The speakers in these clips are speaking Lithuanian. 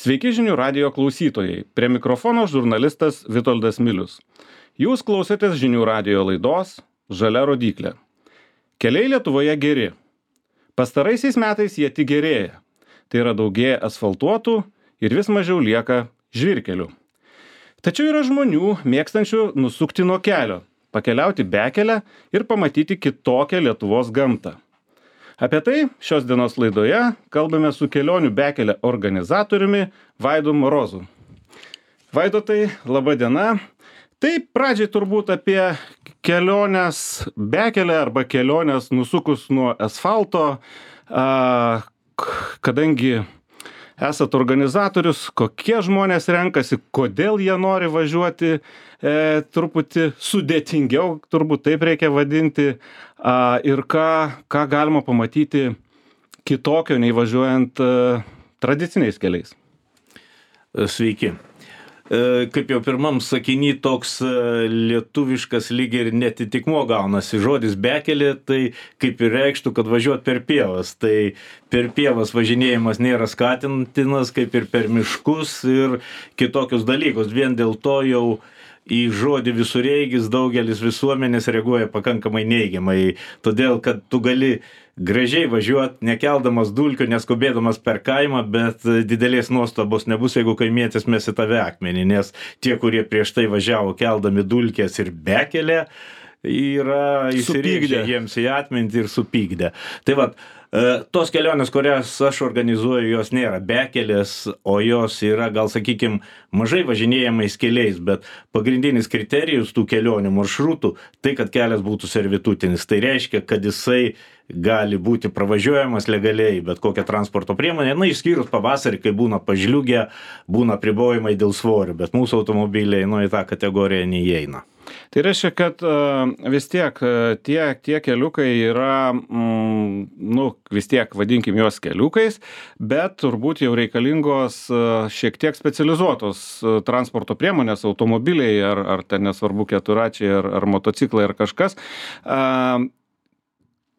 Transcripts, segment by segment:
Sveiki žinių radijo klausytojai. Prie mikrofono žurnalistas Vitoldas Milius. Jūs klausotės žinių radijo laidos Žalia rodyklė. Keliai Lietuvoje geri. Pastaraisiais metais jie tik gerėja. Tai yra daugėja asfaltuotų ir vis mažiau lieka žvyrkelių. Tačiau yra žmonių mėgstančių nusukti nuo kelio, pakeliauti bekelę ir pamatyti kitokią Lietuvos gamtą. Apie tai šios dienos laidoje kalbame su kelionių bekelė organizatoriumi Vaidu Morozu. Vaidotai, laba diena. Tai pradžiai turbūt apie keliones bekelę arba keliones nusukus nuo asfalto, kadangi esat organizatorius, kokie žmonės renkasi, kodėl jie nori važiuoti, truputį sudėtingiau, turbūt taip reikia vadinti, ir ką galima pamatyti kitokio nei važiuojant tradiciniais keliais. Sveiki. Kaip jau pirmam sakiny toks lietuviškas lyg ir netitikmuo gaunasi žodis bekelė, tai kaip ir reikštų, kad važiuot per pievas. Tai per pievas važinėjimas nėra skatintinas, kaip ir per miškus ir kitokius dalykus. Vien dėl to jau į žodį visureigis daugelis visuomenės reaguoja pakankamai neigiamai. Todėl, kad tu gali gražiai važiuot, nekeldamas dulkių, neskubėdamas per kaimą, bet didelės nuostabos nebus, jeigu kaimietis mes į tave akmenį, nes tie, kurie prieš tai važiavo keldami dulkės ir bekelę, yra įsirėžę jiems į atmintį ir supykdę. Tai vat, tos kelionės, kurias aš organizuoju, jos nėra bekelės, o jos yra, gal sakykim, mažai važinėjamais keliais, bet pagrindinis kriterijus tų kelionių maršrutų, tai kad kelias būtų servitutinis. Tai reiškia, kad jisai gali būti pravažiuojamas legaliai, bet kokią transporto priemonę, išskyrus pavasarį, kai būna pažliugę, būna apribojimai dėl svorio, bet mūsų automobiliai į tą kategoriją neįeina. Tai reiškia, kad vis tiek tie keliukai yra, vis tiek vadinkim juos keliukais, bet turbūt jau reikalingos šiek tiek specializuotos transporto priemonės, automobiliai ar ten nesvarbu keturračiai ar motociklai ar kažkas.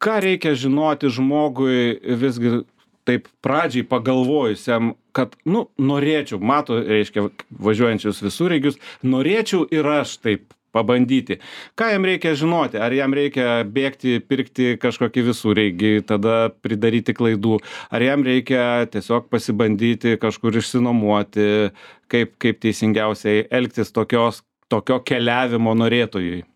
Ką reikia žinoti žmogui visgi taip pradžiai pagalvojusiam, kad, norėčiau, reiškia, važiuojančius visureigius, norėčiau ir aš taip pabandyti. Ką jam reikia žinoti? Ar jam reikia bėgti, pirkti kažkokį visureigį, tada pridaryti klaidų? Ar jam reikia tiesiog pasibandyti, kažkur išsinuomoti, kaip teisingiausiai elgtis tokio keliavimo norėtojui?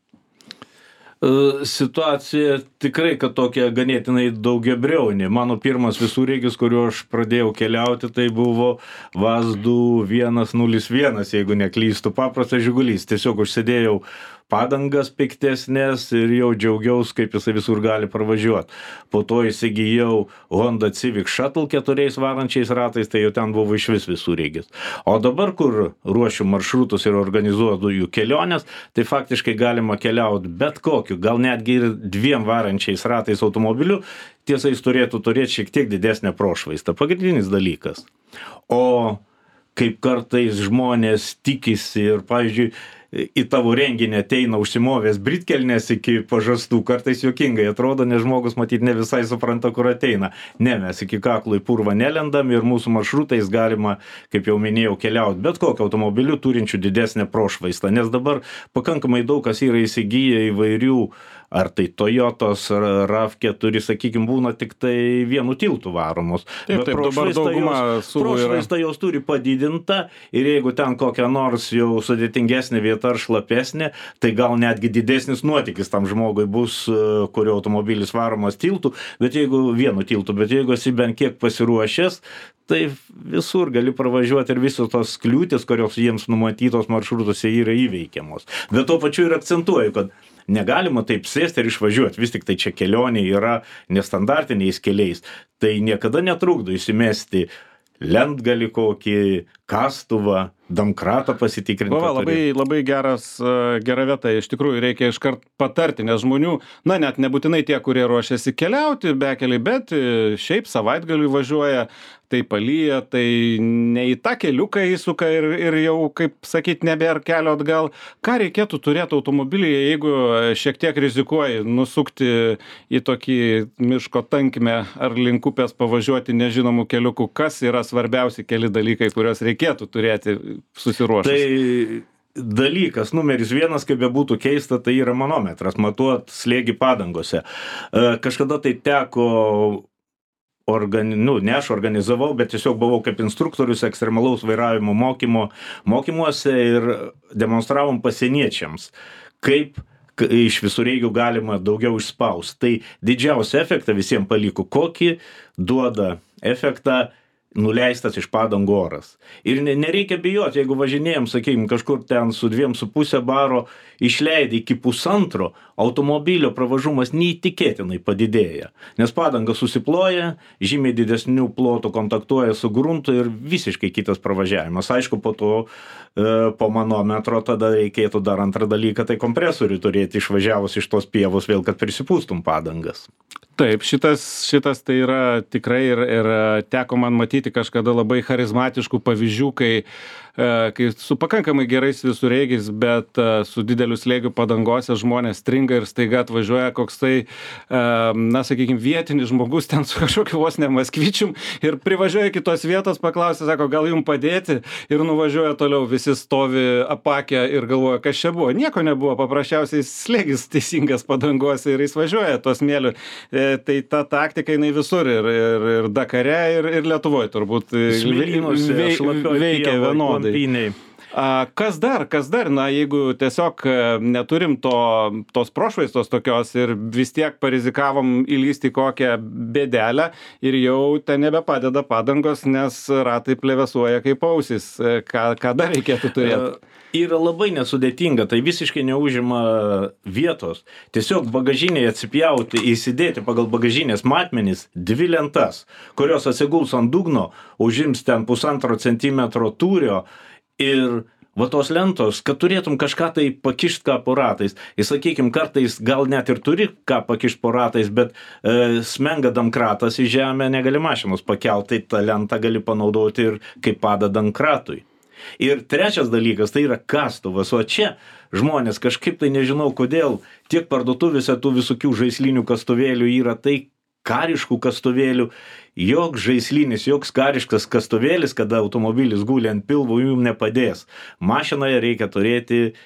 Situacija tikrai, kad tokia ganėtinai daugiabriaunė. Mano pirmas visureigis, kuriuo aš pradėjau keliauti, tai buvo Vazdu 101, jeigu neklystu, paprastas žigulys. Tiesiog užsidėjau padangas piktesnės ir jau džiaugiaus, kaip jisai visur gali pravažiuoti. Po to įsigijau Honda Civic Shuttle 4 varančiais ratais, tai jau ten buvo išvis visureigis. O dabar, kur ruošiu maršrutus ir organizuoju jų keliones, tai faktiškai galima keliauti bet kokiu, gal netgi ir 2 varančiais ratais automobiliu, tiesa, jis turėtų turėti šiek tiek didesnę prošvaistą. Pagrindinis dalykas. O kaip kartais žmonės tikisi ir, pavyzdžiui, į tavo renginį ateina užsimovęs britkelnes iki pažastų, kartais juokingai atrodo, nes žmogus matyt ne visai supranta, kur ateina. Ne, mes iki kaklo į purvą nelendam ir mūsų maršrutais galima, kaip jau minėjau, keliauti bet kokio automobiliu turinčių didesnę prošvaistą, nes dabar pakankamai daug kas yra įsigiję įvairių, ar tai Toyotos, ar RAV4, sakykime, būna tik tai vienu tiltu varomos. Taip, dabar dauguma prošvaistą jos turi padidinta ir jeigu ten kokia nors jau sudėtingesnė vieta ar šlapesnė, tai gal netgi didesnis nuotykis tam žmogui bus, kurio automobilis varomas tiltu, bet jeigu vienu tiltu, bet jeigu esi bent kiek pasiruošęs, tai visur gali pravažiuoti ir visos tos kliūtis, kurios jiems numatytos maršrutuose yra įveikiamos. Bet tuo pačiu ir akcentuoju, kad negalima taip sėsti ir išvažiuoti, vis tik tai čia kelionė yra nestandartiniais keliais. Tai niekada netrukdo įsimesti lentgalį kokį, kastuvą, domkratą pasitikrinti. Labai gera vieta, iš tikrųjų reikia iškart patarti, nes žmonių, net nebūtinai tie, kurie ruošiasi keliauti bekeliai, bet šiaip savaitgaliui važiuoja, tai palyja, tai ne į tą keliuką įsuka ir jau, kaip sakyt, nebėra kelio atgal. Ką reikėtų turėti automobilyje, jeigu šiek tiek rizikuoji nusukti į tokį miško tankmę ar link upės pavažiuoti nežinomų keliukų? Kas yra svarbiausi keli dalykai, kuriuos reikėtų turėti susiruošus? Tai dalykas numeris 1, kaip bebūtų keista, tai yra manometras, matuot slėgį padangose. Kažkada tai teko, ne aš organizavau, bet tiesiog buvau kaip instruktorius ekstremalaus vairavimo mokymuose ir demonstravom pasieniečiams, kaip iš visureigių galima daugiau išspausti. Tai didžiausią efektą visiems paliko, kokį duoda efektą nuleistas iš padangų oras. Ir nereikia bijoti, jeigu važinėjom, sakykime, kažkur ten su 2,5 baro išleidai iki 1,5, automobilio pravažumas neįtikėtinai padidėja. Nes padanga susiploja, žymiai didesnių plotų kontaktuoja su gruntu ir visiškai kitas pravažiavimas. Aišku, po to, po manometro, tada reikėtų dar antrą dalyką, tai kompresorių turėti išvažiavus iš tos pievos vėl, kad prisipūstum padangas. Taip, šitas tai yra tikrai ir teko man matyti kažkada labai charizmatiškų pavyzdžių, kai su pakankamai gerais visureigiais, bet su dideliu slėgiu padangose žmonės stringa ir staiga atvažiuoja koks tai, sakykime, vietinis žmogus ten su kažkokiu vos ne Maskvičium ir privažiuoja kitos vietos, paklausė, sako, gal jums padėti, ir nuvažiuoja toliau, visi stovi apakę ir galvoja, kas čia buvo. Nieko nebuvo, paprasčiausiai slėgis teisingas padangose ir jis važiuoja to smėliu. Tai ta taktika jinai visur ir Dakare, ir Lietuvoje turbūt veikia vienodai. Kas dar, na, jeigu tiesiog neturim tos prošvaistos tokios ir vis tiek parizikavom įlysti kokią bėdelę ir jau ten nebepadeda padangos, nes ratai plevėsuoja kaip ausis. Ką dar reikėtų turėti? Yra labai nesudėtinga, tai visiškai neužima vietos. Tiesiog bagažinėje atsipjauti, įsidėti pagal bagažinės matmenis 2 lentas, kurios atsiguls ant dugno, užims ten 1,5 centimetro tūrio ir va tos lentos, kad turėtum kažką tai pakišt ką po ratais. Ir sakykim, kartais gal net ir turi ką pakišt po ratais, bet smenga damkratas į žemę, negali mašinos pakelt, tai tą lentą gali panaudoti ir kaip pada damkratui. Ir trečias dalykas, tai yra kastuvas, o čia žmonės kažkaip tai nežinau kodėl, tiek parduotuvėse tų visokių žaislinių kastuvėlių yra, tai kariškų kastuvėlių, joks žaislinis, joks kariškas kastuvėlis, kada automobilis guli ant pilvo, jums nepadės. Mašinoje reikia turėti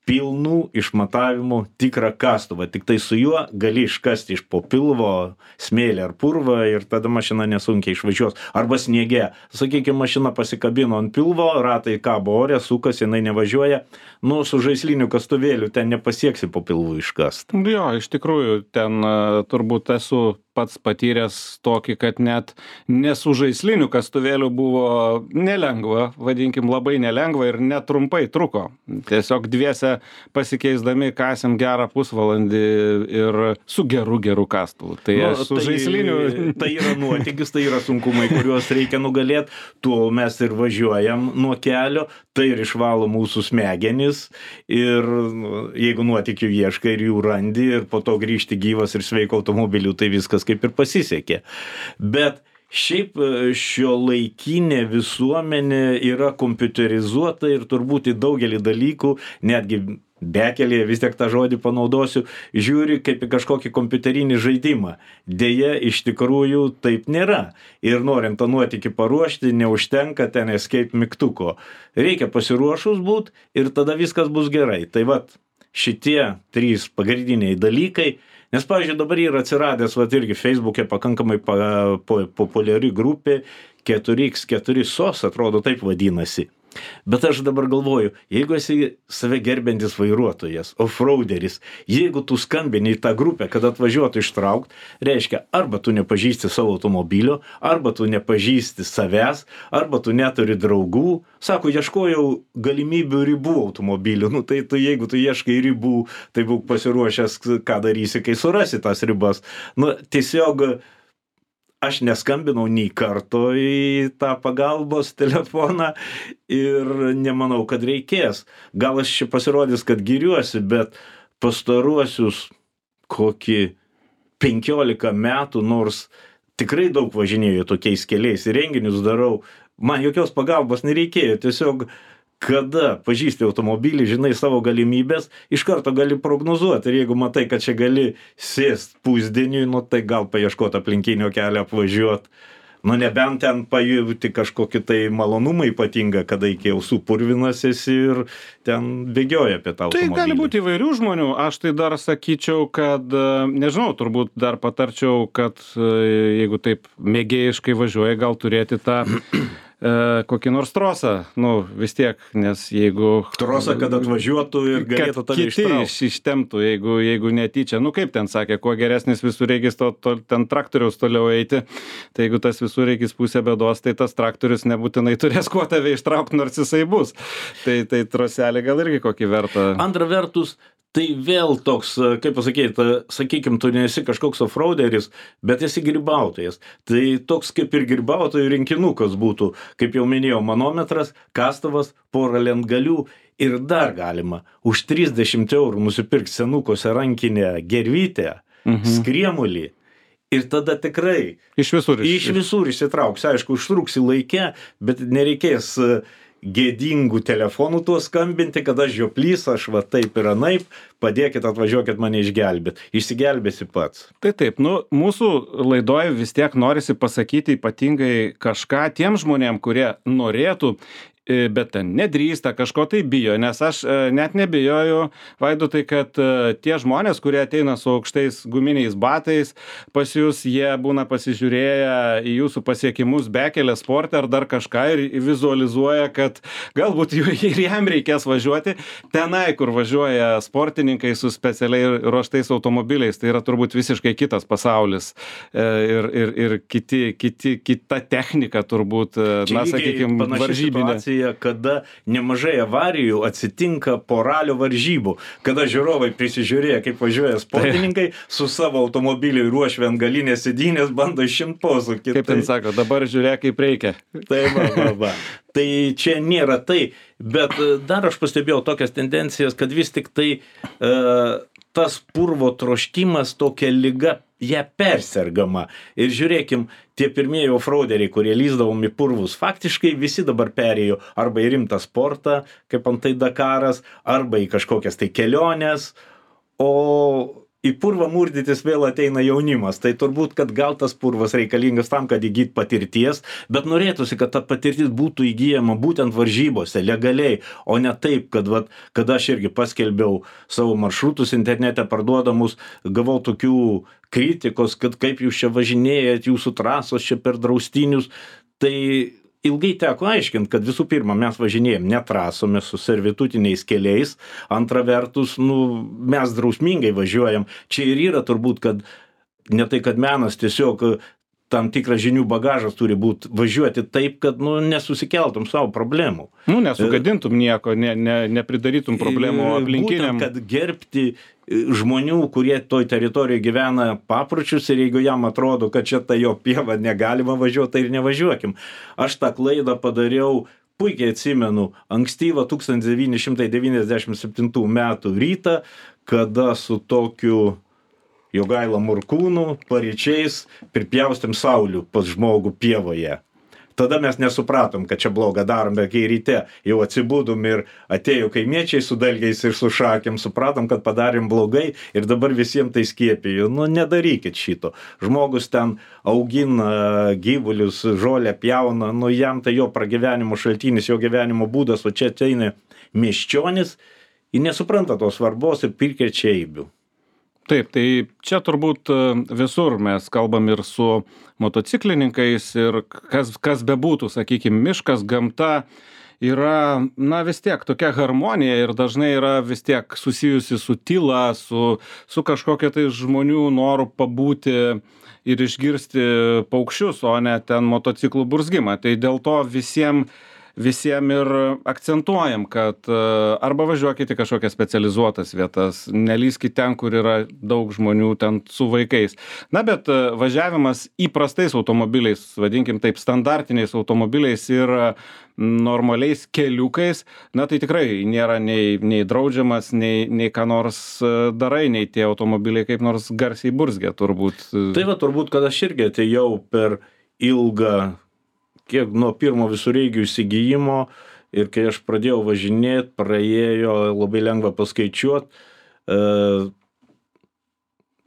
pilnų išmatavimų tikrą kastuvą, tik tai su juo gali iškasti iš po pilvo smėlį ar purvą ir tada mašina nesunkiai išvažiuos. Arba sniege, sakykime, mašina pasikabino ant pilvo, ratai kabo ore, sukas, jinai nevažiuoja, su žaisliniu kastuvėliu ten nepasieksi po pilvų iškast. Jo, iš tikrųjų, ten turbūt esu pats patyręs tokį, kad net nesu žaislinių kastuvėlių buvo nelengva, vadinkim labai nelengva ir netrumpai truko. Tiesiog dviese pasikeisdami kasėm gerą pusvalandį ir su geru kastuvu. Tai su žaisliniu. Tai yra nuotykis, tai yra sunkumai, kuriuos reikia nugalėti. Tuo mes ir važiuojam nuo kelio, tai ir išvalo mūsų smegenis ir jeigu nuotykių ieškai ir jų randi ir po to grįžti gyvas ir sveiko automobiliu, tai viskas kaip ir pasisekė. Bet šiaip šiuolaikinė visuomenė yra kompiuterizuota ir turbūt į daugelį dalykų, netgi bekelėje, vis tiek tą žodį panaudosiu, žiūri kaip į kažkokį kompiuterinį žaidimą. Deja, iš tikrųjų taip nėra. Ir norint tą nuotykį paruošti, neužtenka ten escape mygtuko. Reikia pasiruošus būt ir tada viskas bus gerai. Tai vat, šitie 3 pagrindiniai dalykai. Nes, pavyzdžiui, dabar yra atsiradęs, irgi Facebook'e pakankamai populiari grupė 4x4 SOS, atrodo taip vadinasi. Bet aš dabar galvoju, jeigu esi save gerbiantis vairuotojas, offroaderis, jeigu tu skambini į tą grupę, kad atvažiuotų ištraukt, reiškia, arba tu nepažįsti savo automobilio, arba tu nepažįsti savęs, arba tu neturi draugų. Sako, ieškojau galimybių ribų automobilių. Tai jeigu tu ieškai ribų, tai būk pasiruošęs, ką darysi, kai surasi tas ribas. Tiesiog aš neskambinau nei karto į tą pagalbos telefoną ir nemanau, kad reikės. Gal aš čia pasirodys, kad giriuosi, bet pastaruosius kokį 15 metų, nors tikrai daug važinėju tokiais keliais ir renginius darau. Man jokios pagalbos nereikėjo, tiesiog kada pažįsti automobilį, žinai savo galimybės, iš karto gali prognozuoti. Ir jeigu matai, kad čia gali sėst pusdieniui, nu tai gal paieškoti aplinkinio kelio, apvažiuoti. Nu nebent ten pajuti kažkokį tai malonumą ypatingą, kada iki ausų purvinas esi ir ten bėgioja apie tą automobilį. Tai gali būti įvairių žmonių. Aš tai dar sakyčiau, kad, nežinau, turbūt dar patarčiau, kad jeigu taip mėgėjiškai važiuoja, gal turėti tą kokį nors trosą, nu vis tiek, nes jeigu... Trosą, kad atvažiuotų ir galėtų tave ištraukti. Kiti ištemptų, jeigu netyčia, nu kaip ten sakė, kuo geresnis visureigis, ten traktoriaus toliau eiti, tai jeigu tas visureigis pusė bėdos, tai tas traktorius nebūtinai turės kuo tave ištraukti, nors jisai bus. Tai troselė gal irgi kokį vertą. Antra vertus, tai vėl toks, kaip pasakyti, sakykim, tu nesi kažkoks offroaderis, bet esi grybautojas. Tai toks kaip ir grybautojų rinkinukas būtų, kaip jau minėjau, manometras, kastuvas, pora lentgalių ir dar galima už 30 eurų nusipirkti senukose rankinę gervytę, skriemulį. Ir tada tikrai iš visur išsitrauks. Aišku, užtruksi laike, bet nereikės gėdingų telefonų tuo skambinti, kad aš žioplys, aš va taip ir anaip, padėkit, atvažiuokit mane išgelbėt. Išsigelbėsi pats. Tai taip, nu, mūsų laidoje vis tiek norisi pasakyti ypatingai kažką tiem žmonėm, kurie norėtų, bet ten nedrįsta, kažko tai bijo, nes aš net nebijoju, Vaidotai, kad tie žmonės, kurie ateina su aukštais guminiais batais, pas jūs jie būna pasižiūrėję į jūsų pasiekimus bekelę sportą ar dar kažką ir vizualizuoja, kad galbūt ir jam reikės važiuoti tenai, kur važiuoja sportininkai su specialiai ruoštais automobiliais. Tai yra turbūt visiškai kitas pasaulis ir kita technika turbūt, na, sakykime, varžybinė. Kada nemažai avarijų atsitinka po ralio varžybų, kada žiūrovai prisižiūrėję, kaip važiuoja sportininkai, su savo automobiliu ruošia ant galinės sėdynės, bando išimti posūkį. Kaip ten sako, dabar žiūrėk, kaip reikia. Tai va. Tai čia nėra tai, bet dar aš pastebėjau tokias tendencijas, kad vis tik tai tas purvo troškimas tokia liga, ją persergama. Ir žiūrėkim, tie pirmieji offroaderiai, kurie lįsdavom į purvus, faktiškai visi dabar perėjo arba į rimtą sportą, kaip antai Dakaras, arba į kažkokias tai keliones, o į purvą murdytis vėl ateina jaunimas. Tai turbūt, kad gal tas purvas reikalingas tam, kad įgyt patirties, bet norėtųsi, kad ta patirtis būtų įgyjama būtent varžybose, legaliai, o ne taip, kad aš irgi paskelbiau savo maršrutus internete parduodamus, gavau tokių kritikos, kad kaip jūs čia važinėjat, jūsų trasos čia per draustinius. Tai ilgai teko aiškinti, kad visų pirma, mes važinėjom ne trasomis su servitutiniais keliais, antra vertus, mes drausmingai važiuojam. Čia ir yra turbūt, kad ne tai, kad menas, tiesiog tam tikras žinių bagažas turi būti važiuoti taip, kad nesusikeltum savo problemų. Nesugadintum nieko, nepridarytum problemų aplinkiniam. Būtent, kad gerbti žmonių, kurie toj teritorijoje gyvena papročius ir jeigu jam atrodo, kad čia ta jo pieva negalima važiuoti, tai ir nevažiuokim. Aš tą klaidą padariau, puikiai atsimenu, ankstyvą 1997 metų rytą, kada su tokiu Jogaila Morkūnu paryčiais pripjaustėm saulių pas žmogų pievoje. Tada mes nesupratom, kad čia blogą darom, bet kai ryte jau atsibudom ir atėjo kaimiečiai su dalgiais ir su šakėm, supratom, kad padarėm blogai ir dabar visiems tai skiepijo. Nedarykit šito. Žmogus ten augina gyvulius, žolę pjauna, jam tai jo pragyvenimo šaltinis, jo gyvenimo būdas, o čia ateina miesčionis, jis nesupranta tos svarbos ir prikrečia eibių. Taip, tai čia turbūt visur mes kalbam ir su motociklininkais ir kas bebūtų, sakykime, miškas, gamta yra, vis tiek tokia harmonija ir dažnai yra vis tiek susijusi su tyla, su kažkokia tai žmonių noru pabūti ir išgirsti paukščius, o ne ten motociklų burzgimą. Tai dėl to visiems visiem ir akcentuojam, kad arba važiuokit į kažkokias specializuotas vietas, nelįskit ten, kur yra daug žmonių ten su vaikais. Na, bet važiavimas įprastais automobiliais, vadinkim taip, standartiniais automobiliais ir normaliais keliukais, na tai tikrai nėra nei draudžiamas, nei ką nors darai, nei tie automobiliai kaip nors garsiai burzgia turbūt. Tai va, turbūt, kad aš irgi atėjau per ilgą, kiek nuo pirmo visureigių įsigijimo ir kai aš pradėjau važinėti, praėjo labai lengva paskaičiuoti,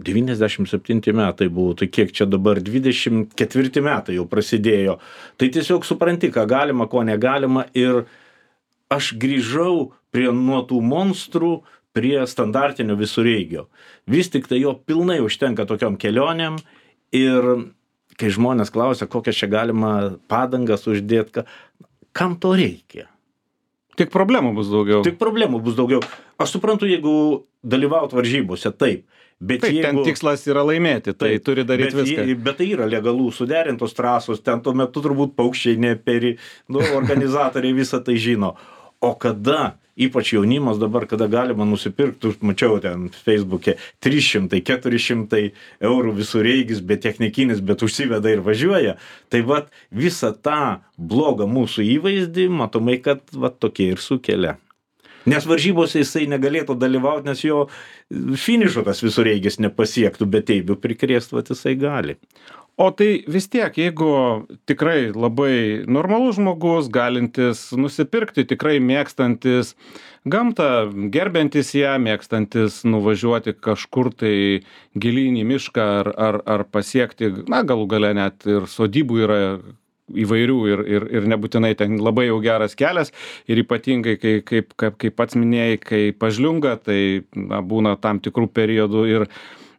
97 metai buvo, tai kiek čia dabar 24 metai jau prasidėjo. Tai tiesiog supranti, ką galima, ko negalima ir aš grįžau nuo tų monstrų prie standartinio visureigio. Vis tik tai jo pilnai užtenka tokiom kelionėm ir kai žmonės klausia, kokią čia galima padangas uždėti, kam to reikia? Tik problemų bus daugiau. Tik problemų bus daugiau. Aš suprantu, jeigu dalyvaut varžybose, taip. Bet taip, ten tikslas yra laimėti, tai turi daryti viską. Bet tai yra legalų, suderintos trasos, ten tuo metu turbūt paukščiai neperi, organizatoriai visą tai žino. O kada, ypač jaunimas dabar, kada galima nusipirkti, mačiau ten Facebook'e, 300-400 eurų visureigis, bet technikinis, bet užsiveda ir važiuoja, tai vat visą tą blogą mūsų įvaizdį, matomai, kad vat tokie ir sukelia. Nes varžybose jisai negalėtų dalyvauti, nes jo finišo tas visureigis nepasiektų, bet eibių prikrėst, vat jisai gali. O tai vis tiek, jeigu tikrai labai normalus žmogus, galintis nusipirkti, tikrai mėgstantis gamtą, gerbiantis ją, mėgstantis nuvažiuoti kažkur tai gilyn į mišką ar pasiekti, na galų gale net ir sodybų yra įvairių ir nebūtinai ten labai jau geras kelias ir ypatingai, kaip pats minėjai, kai pažliunga, tai būna tam tikrų periodų ir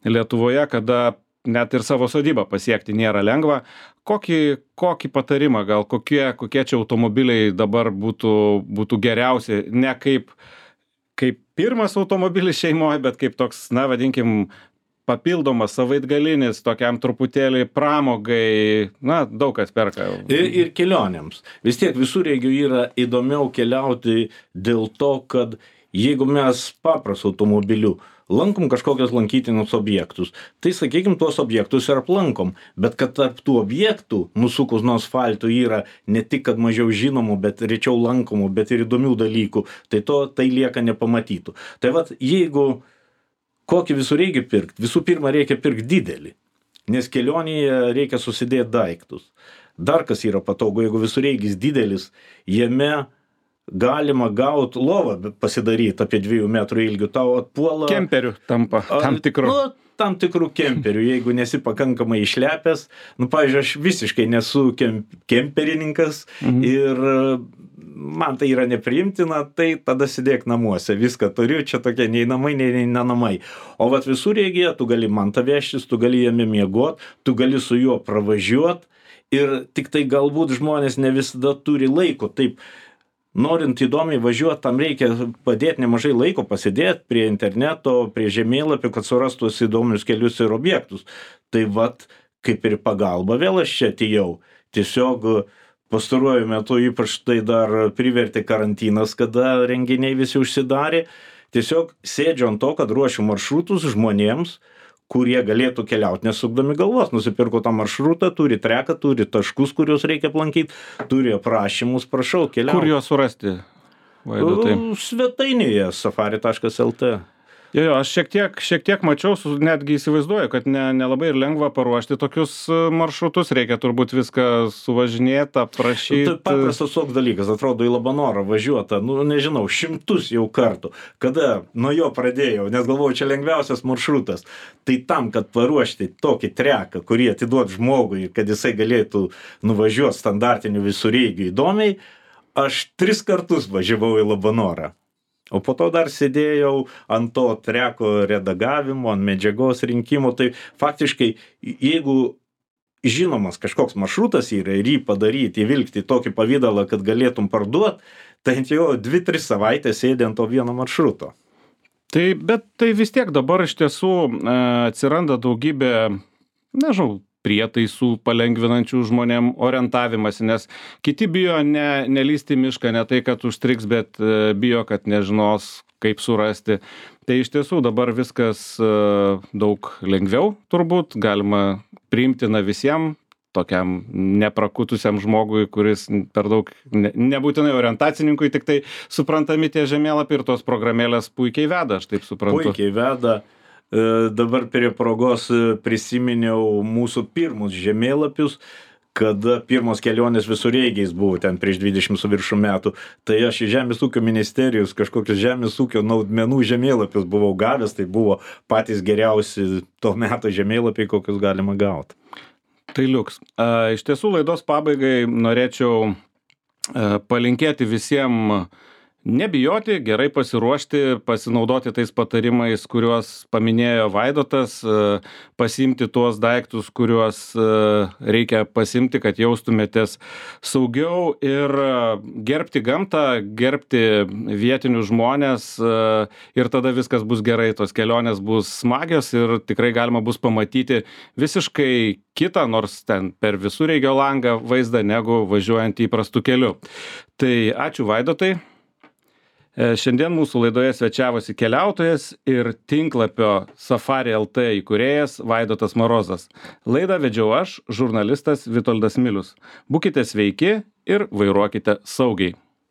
Lietuvoje, kada net ir savo sodybą pasiekti nėra lengva. Kokį patarimą, gal kokie čia automobiliai dabar būtų geriausi, ne kaip pirmas automobilis šeimoje, bet kaip toks, na vadinkim, papildomas savaitgalinis, tokiam truputėlį pramogai, na daug kas perka. Ir kelionėms. Vis tiek visureigių yra įdomiau keliauti dėl to, kad jeigu mes paprastu automobiliu lankom kažkokius lankytinus objektus, tai sakykim, tuos objektus ir aplankom, bet kad tarp tų objektų nusukus nuo asfalto yra ne tik, kad mažiau žinomų, bet rečiau lankomų, bet ir įdomių dalykų, tai lieka nepamatytų. Tai vat, jeigu kokį visureigį pirkt, visų pirma reikia pirkti didelį, nes kelionėje reikia susidėti daiktus. Dar kas yra patogu, jeigu visureigis didelis, jame galima gauti lovą pasidaryti apie 2 metrų ilgių, tau atpuola... Kemperių tampa, tam tikrų. Tam tikrų kemperių, jeigu nesi pakankamai išlepęs. Pavyzdžiui, aš visiškai nesu kemperininkas ir man tai yra nepriimtina, tai tada sėdėk namuose, viską turiu, čia tokie nei namai, nei namai. O vat visureigyje tu gali mantą vežtis, tu gali jame miegot, tu gali su juo pravažiuot ir tik tai galbūt žmonės ne visada turi laiko, taip. Norint įdomiai važiuoti, tam reikia padėti nemažai laiko, pasidėti prie interneto, prie žemėlapių, kad surastų įdomius kelius ir objektus. Tai vat, kaip ir pagalba, vėl aš čia atėjau. Tiesiog pastaruoju metu ypač tai dar privertė karantinas, kada renginiai visi užsidarė. Tiesiog sėdžiu ant to, kad ruošiu maršrutus žmonėms, kurie galėtų keliauti nesukdami galvos. Nusipirko tą maršrutą, turi treką, turi taškus, kuriuos reikia aplankyti, turi aprašymus, prašau, keliauti. Kur juos surasti, Vaidotai? Svetainėje safari.lt. Jo, aš šiek tiek mačiau, netgi įsivaizduoju, kad nelabai ir lengva paruošti tokius maršrutus, reikia turbūt viską suvažinėti, aprašyti. Tai paprastas toks dalykas, atrodo į Labanorą važiuota, nežinau, 100 jau kartų, kada nuo jo pradėjau, nes galvoju, čia lengviausias maršrutas. Tai tam, kad paruošti tokį treką, kurį atiduot žmogui, kad jisai galėtų nuvažiuoti standartiniu visureigiu įdomiai, aš 3 kartus važiavau į Labanorą. O po to dar sėdėjau ant to treko redagavimo, ant medžiagos rinkimo. Tai faktiškai, jeigu žinomas kažkoks maršrutas yra ir jį padaryti, įvilkti tokį pavydalą, kad galėtum parduoti, tai jau 2-3 savaitės sėdė ant to vieno maršruto. Bet tai vis tiek dabar iš tiesų atsiranda daugybė, nežinau, prietaisų palengvinančių žmonėm orientavimąsi, nes kiti bijo nelįsti į mišką, ne tai, kad užstriks, bet bijo, kad nežinos, kaip surasti. Tai iš tiesų dabar viskas daug lengviau turbūt, galima priimtina visiems, tokiam neprakutusiam žmogui, kuris per daug nebūtinai orientacininkui, tik tai suprantami tie žemėlapiai ir tos programėlės puikiai veda, aš taip suprantu. Puikiai veda. Dabar prie progos prisiminiau mūsų pirmus žemėlapius, kada pirmos kelionės visureigiais buvo ten prieš 20 su viršų metų. Tai aš iš Žemės ūkio ministerijos kažkokius žemės ūkio naudmenų žemėlapius buvau gavęs, tai buvo patys geriausi to meto žemėlapiai, kokius galima gauti. Tai liuks. Iš tiesų laidos pabaigai norėčiau palinkėti visiems nebijoti, gerai pasiruošti, pasinaudoti tais patarimais, kuriuos paminėjo Vaidotas, pasiimti tuos daiktus, kuriuos reikia pasimti, kad jaustumėtės saugiau ir gerbti gamtą, gerbti vietinius žmonės ir tada viskas bus gerai, tos kelionės bus smagios ir tikrai galima bus pamatyti visiškai kitą, nors ten per visureigio langą vaizdą, negu važiuojant įprastu keliu. Tai ačiū Vaidotai. Šiandien mūsų laidoje svečiavosi keliautojas ir tinklapio Safari LT įkūrėjas Vaidotas Marozas. Laidą vedžiau aš, žurnalistas Vitoldas Milius. Būkite sveiki ir vairuokite saugiai.